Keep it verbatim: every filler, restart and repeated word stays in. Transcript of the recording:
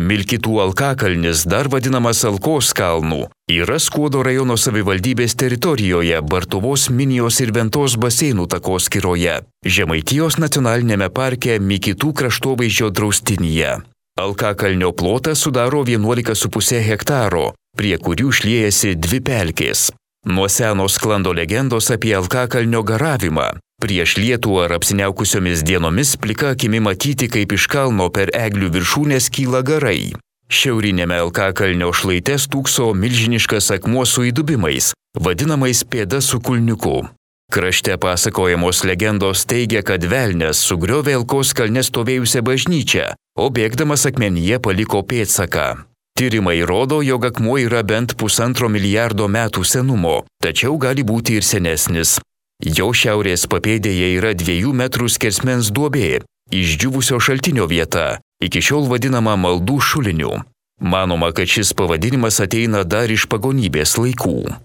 Milkitų alkakalnis, dar vadinamas Alkos kalnų, yra Skuodo rajono savivaldybės teritorijoje Bartuvos, Minijos ir Ventos baseinų takoskyroje, Žemaitijos nacionalinėme parke Milkitų kraštovaizdžio draustinyje. Alkakalnio plotas sudaro vienuolika su puse hektaro, prie kurių šliejasi dvi pelkės. Nuo seno sklando legendos apie alkakalnio garavimą. Prieš lietų ar apsiniaukusiomis dienomis plika akimi matyti, kaip iš kalno per eglių viršūnės kyla garai. Šiaurinėme alkakalnio šlaite stūkso milžiniškas akmuo su įdubimais, vadinamais pėda su kulniuku. Krašte pasakojamos legendos teigia, kad velnias sugriovė Alkos kalne stovėjusią bažnyčią, o bėgdamas akmenyje paliko pėdsaką. Tyrimai rodo, jog akmuo yra bent pusantro milijardo metų senumo, tačiau gali būti ir senesnis. Jo šiaurės papėdėje yra dviejų metrų skersmens duobė, išdžiūvusio šaltinio vieta, iki šiol vadinama maldų šuliniu. Manoma, kad šis pavadinimas ateina dar iš pagonybės laikų.